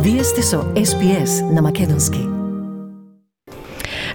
Вие сте со SPS на македонски.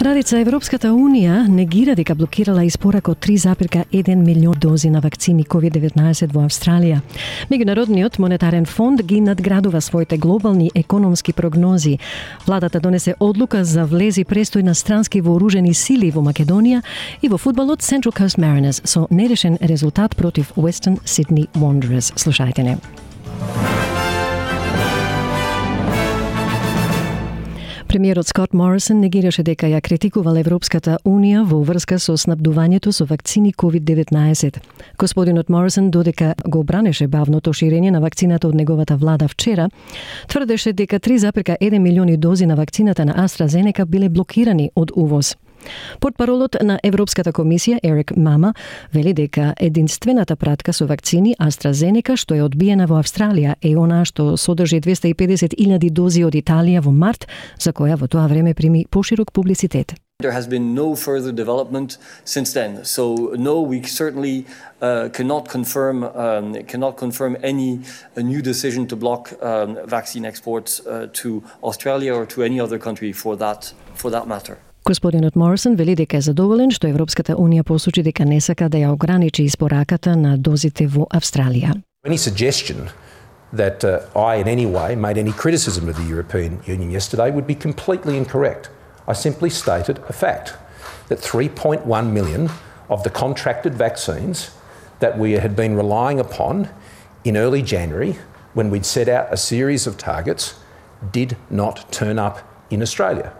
Радица Европската Унија негира дека блокирала испорак од 3,1 милион дози на вакцини COVID-19 во Австралија. Меѓународниот монетарен фонд ги надградува своите глобални економски прогнози. Владата донесе одлука за влези престој на странски вооружени сили во Македонија и во фудбалот Central Coast Mariners со нерешен резултат против Western Sydney Wanderers. Слушајте не. Премиерот Скот Морисон негираше дека ја критикувал Европската Унија во врска со снабдувањето со вакцини COVID-19. Господинот Морисон, додека го бранеше бавното ширење на вакцината од неговата влада вчера, тврдеше дека 3,1 милиони дози на вакцината на AstraZeneca биле блокирани од увоз. Портпаролот на Европската комисија Ерик Мама вели дека единствената пратка со вакцини AstraZeneca што е одбиена во Австралија е она што содржи 250.000 дози од Италија во март, за која во тоа време прими поширок публицитет. There has been no further development since then. So no, we certainly cannot confirm any new decision to block vaccine exports to Australia or to any other country for that matter. Господинот Морисон вели дека е задоволен што Европската Унија посочи дека не сака да ја ограничи испораката на дозите во Австралија. Any suggestion that I in any way made any criticism of the European Union yesterday would be completely incorrect. I simply stated a fact that 3.1 million of the contracted vaccines that we had been relying upon in early January when we'd set out a series of targets did not turn up in Australia.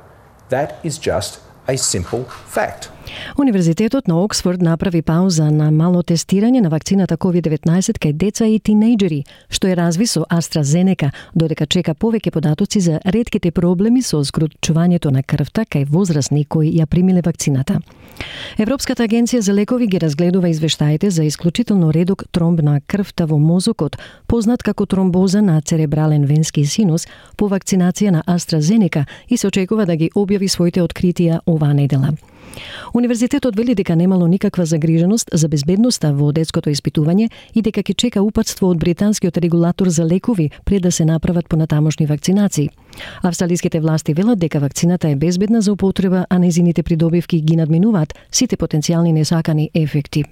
That is just a simple fact. Универзитетот на Оксфорд направи пауза на мало тестирање на вакцината COVID-19 кај деца и тинејџери, што е разви со AstraZeneca, додека чека повеќе податоци за ретките проблеми со згручувањето на крвта кај возрастни кои ја примиле вакцината. Европската агенција за лекови ги разгледува извештаите за исклучително редок тромб на крвта во мозокот, познат како тромбоза на церебрален венски синус, по вакцинација на AstraZeneca и се очекува да ги објави своите откритија оваа недела. Универзитетот вели дека немало никаква загриженост за безбедноста во детското испитување и дека ќе чека упатство од британскиот регулатор за лекови пред да се направат понатамошни вакцинации. Австралиските власти велат дека вакцината е безбедна за употреба, а нејзините придобивки ги надминуваат сите потенцијални несакани ефекти.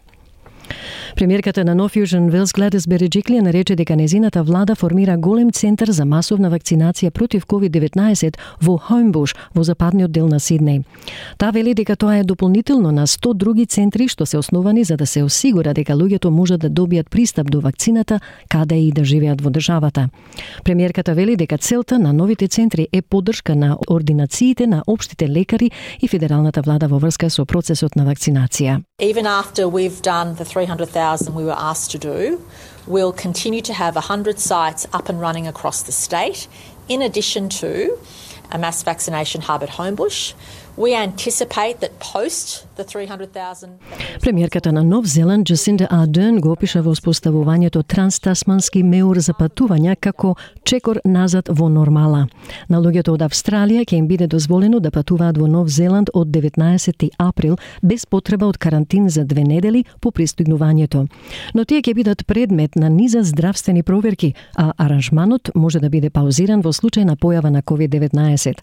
Премиерката на North Fusion Wales Gladys Berejiklian нарече дека незината влада формира голем центар за масовна вакцинација против COVID-19 во Homebush, во западниот дел на Сиднеј. Таа вели дека тоа е дополнително на 100 други центри што се основани за да се осигура дека луѓето можат да добијат пристап до вакцината каде и да живеат во државата. Премиерката вели дека целта на новите центри е поддршка на ординациите на општите лекари и федералната влада во врска со процесот на вакцинација. Even after we've done the 300,000 we were asked to do, we'll continue to have 100 sites up and running across the state, in addition to a mass vaccination hub at Homebush. We anticipate that post the 300,000... Премиерката на Нов Зеланд Джасинда Ардерн го опиша во споставувањето транстасмански меур за патувања како чекор назад во нормала. На луѓето од Австралија ќе им биде дозволено да патуваат во Нов Зеланд од 19 април без потреба од карантин за 2 недели по пристигнувањето. Но тие ќе бидат предмет на низа здравствени проверки, а аранжманот може да биде паузиран во случај на појава на COVID-19.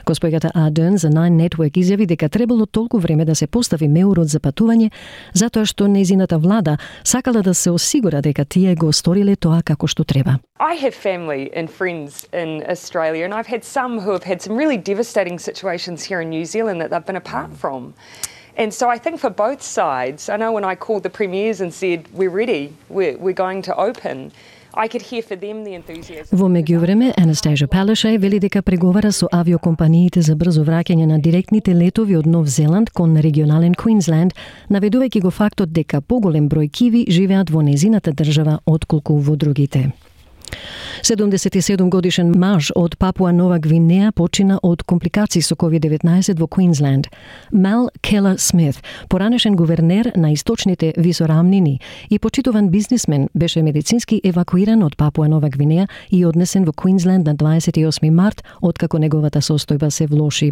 Госпоѓата Ардерн за Nine Network изјави дека требало толку време да се постави меурот за патување, затоа што нејзината влада сакала да се осигура дека тие го сториле тоа како што треба. I have family and friends in Australia, and I've had some who have had some really devastating situations here in New Zealand that they've been apart from. And so I think for both sides, I know when I called the premiers and said, we're ready, we're going to open, I could hear for them the enthusiasm. Во меѓувреме, Anastasia Palaszczuk вели дека преговара со авиокомпаниите за брзо враќање на директните летови од Нов Зеланд кон регионален Квинсленд, наведувајќи го фактот дека поголем број киви живеат во незината држава отколку во другите. 77 годишен маж од Папуа Нова Гвинеја почина од компликации со COVID-19 во Квинсленд. Мел Келер Смит, поранешен гувернер на источните висорамнини и почитуван бизнисмен, беше медицински евакуиран од Папуа Нова Гвинеја и однесен во Квинсленд на 28 март, откако неговата состојба се влоши.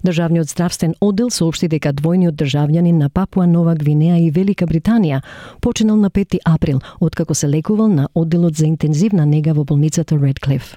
Државниот здравствен оддел соопшти дека двојниот државјанин на Папуа Нова Гвинеја и Велика Британија починал на 5 април, откако се лекувал на одделот за интензивна нега во болницата Redcliffe.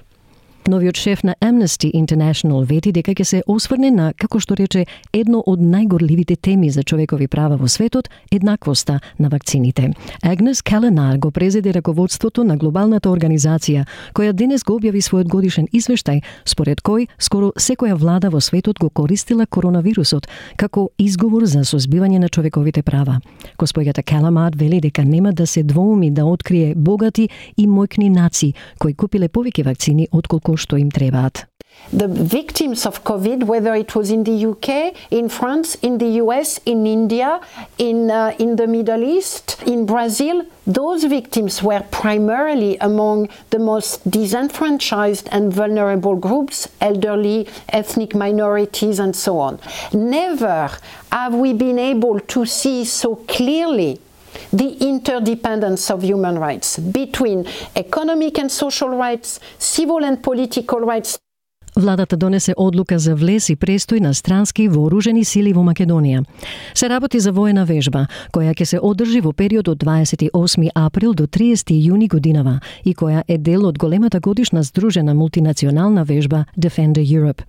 Новиот шеф на Amnesty International вети дека ќе се осврне на, како што рече, едно од најгорливите теми за човекови права во светот, еднаквоста на вакцините. Агнес Келенар го презеде раководството на глобалната организација, која денес го објави својот годишен извештај, според кој скоро секоја влада во светот го користила коронавирусот како изговор за созбивање на човековите права. Госпоѓата Келенар вели дека нема да се двоуми да открие богати и мојкни нации кои купиле повеќе вакцини отколку што им требаат. The victims of COVID, whether it was in the UK, in France, in the US, in India, in the Middle East, in Brazil, those victims were primarily among the most disenfranchised and vulnerable groups, elderly, ethnic minorities, and so on. Never have we been able to see so clearly the interdependence of human rights between economic and social rights, civil and political rights. Владата донесе одлука за влез и престој на странски вооружени сили во Македонија. Се работи за воена вежба, која ќе се одржи во период од 28 април до 30 јуни годинава и која е дел од големата годишна здружена мултинационална вежба Defender Europe.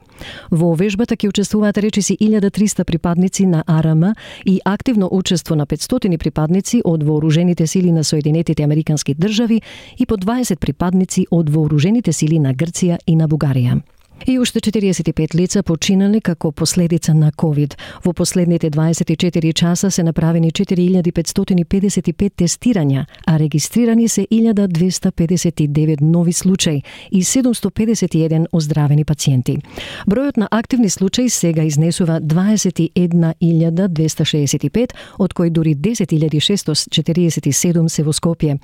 Во вежбата ќе учествуваат речиси 1300 припадници на АРМ и активно учество на 500 припадници од вооружените сили на Соединетите Американски држави и по 20 припадници од вооружените сили на Грција и на Бугарија. И уште 45 лица починале како последица на COVID. Во последните 24 часа се направени 4555 тестирања, а регистрирани се 1259 нови случаи и 751 оздравени пациенти. Бројот на активни случаи сега изнесува 21265, од кои дури 10647 се во Скопје.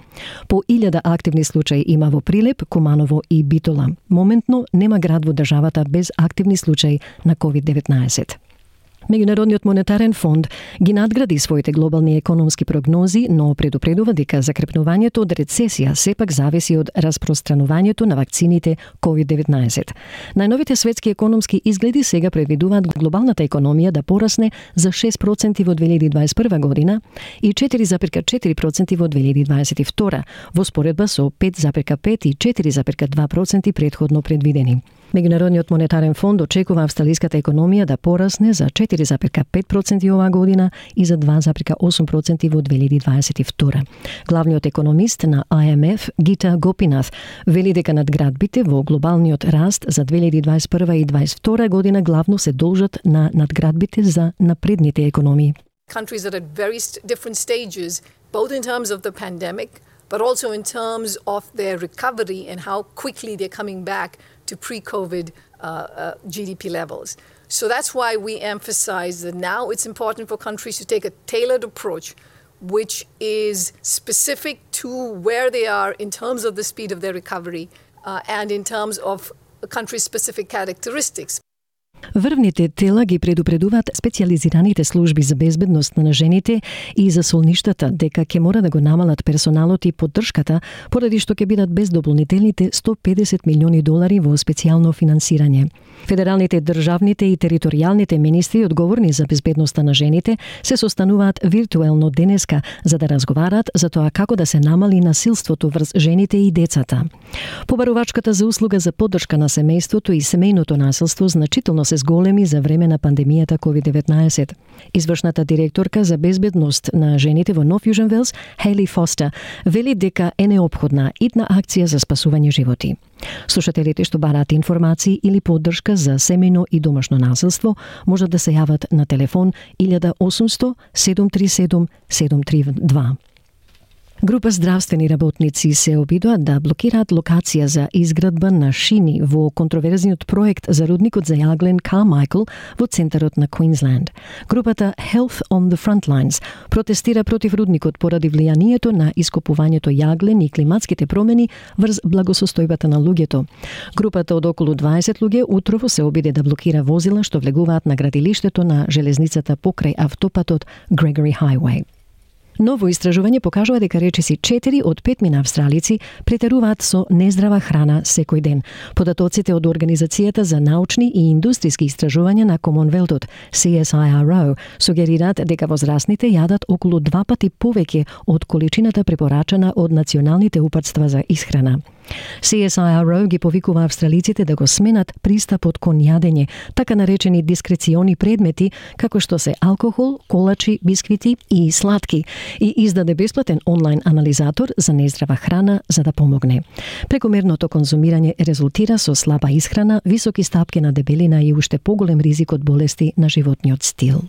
По 1000 активни случаи има во Прилеп, Куманово и Битола. Моментно нема град во државата без активни случаи на COVID-19. Меѓународниот монетарен фонд ги надгради своите глобални економски прогнози, но предупредува дека закрепнувањето од рецесија сепак зависи од распространувањето на вакцините COVID-19. Најновите светски економски изгледи сега предвидуваат глобалната економија да порасне за 6% во 2021 година и 4,4% во 2022, во споредба со 5,5 и 4,2% претходно предвидени. Меѓународниот монетарен фонд очекува австралиската економија да порасне за 4,5% оваа година и за 2,8% во 2022. Главниот економист на IMF, Гита Гопинат, вели дека надградбите во глобалниот раст за 2021 и 2022 година главно се должат на надградбите за напредните економии. Countries are at very different stages, both in terms of the pandemic, but also in terms of their recovery and how quickly they're coming back to pre-COVID GDP levels. So that's why we emphasize that now it's important for countries to take a tailored approach, which is specific to where they are in terms of the speed of their recovery and in terms of country-specific characteristics. Врвните тела ги предупредуваат специјализираните служби за безбедност на жените и за солништата дека ќе мора да го намалат персоналот и поддршката поради што ќе бидат без дополнителните $150 милиони во специјално финансирање. Федералните, државните и територијалните министри одговорни за безбедноста на жените се состануваат виртуелно денеска за да разговараат за тоа како да се намали насилството врз жените и децата. Побарувачката за услуга за поддршка на семејството и семејното насилство значително се зголеми за време на пандемијата COVID-19. Извршната директорка за безбедност на жените во Нов Јужен Велс, Хейли Фостер, вели дека е неопходна итна акција за спасување животи. Слушателите што бараат информации или поддршка за семејно и домашно насилство можат да се јават на телефон 1800 737 732. Група здравствени работници се обидоа да блокираат локација за изградба на шини во контроверзниот проект за рудникот за јаглен Carmichael во центарот на Queensland. Групата Health on the Frontlines протестира против рудникот поради влијанието на ископувањето јаглен и климатските промени врз благосостојбата на луѓето. Групата од околу 20 луѓе утрово се обиде да блокира возила што влегуваат на градилиштето на железницата покрај автопатот Gregory Highway. Ново истражување покажува дека речиси 4 од 5 австралици претеруваат со нездрава храна секој ден. Податоците од Организацијата за научни и индустријски истражувања на Комонвелтот, CSIRO, сугерираат дека возрастните јадат околу 2 пати повеќе од количината препорачана од националните упатства за исхрана. CSIRO ги повикува австралиците да го сменат пристапот кон јадење, така наречени дискрециони предмети, како што се алкохол, колачи, бисквити и сладки, и издаде бесплатен онлайн анализатор за нездрава храна за да помогне. Прекомерното конзумирање резултира со слаба исхрана, високи стапки на дебелина и уште поголем ризик од болести на животниот стил.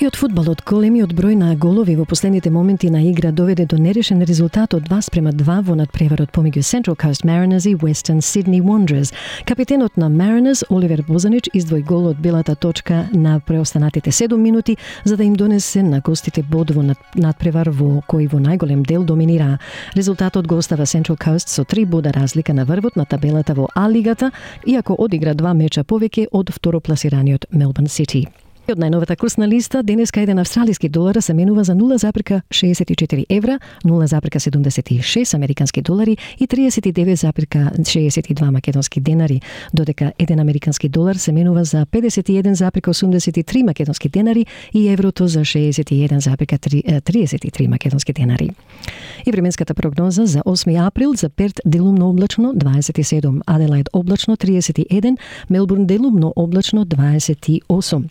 И од фудбалот, големиот број на голови во последните моменти на игра доведе до нерешен резултат од 2:2 во надпреварот помеѓу Central Coast Mariners и Western Sydney Wanderers. Капитенот на Mariners, Оливер Бозанич, издвои гол од белата точка на преостанатите 7 минути, за да им донесе на гостите бод во надпревар во кој во најголем дел доминираа. Резултатот го остава Central Coast со 3 бода разлика на врвот на табелата во А-лигата, иако одигра 2 меча повеќе од второпласираниот Melbourne City. Од најновата курсна листа, денеска еден австралиски долар се менува за 0,64 евра, 0,76 американски долари и 39,62 македонски денари, додека еден американски долар се менува за 51,83 македонски денари и еврото за 61,33 македонски денари. И временската прогноза за 8 април за Перт делумно облачно 27, Аделаид облачно 31, Мелбурн делумно облачно 28.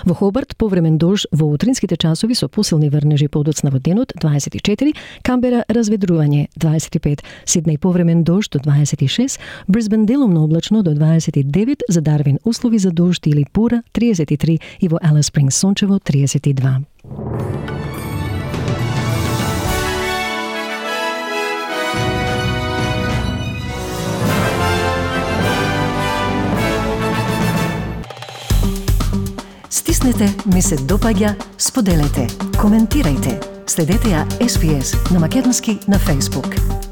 Во Хобарт повремен дожд во утринските часови со посилни врнежи подоцна во денот 24, Камбера разведрување 25, Сиднеј повремен дожд до 26, Брисбен делумно облачно до 29, за Дарвин услови за дожд или бура 33 и во Алис Спрингс сончево 32. Стиснете, ми се допаѓа, споделете, коментирајте. Следете ја SPS на македонски на Facebook.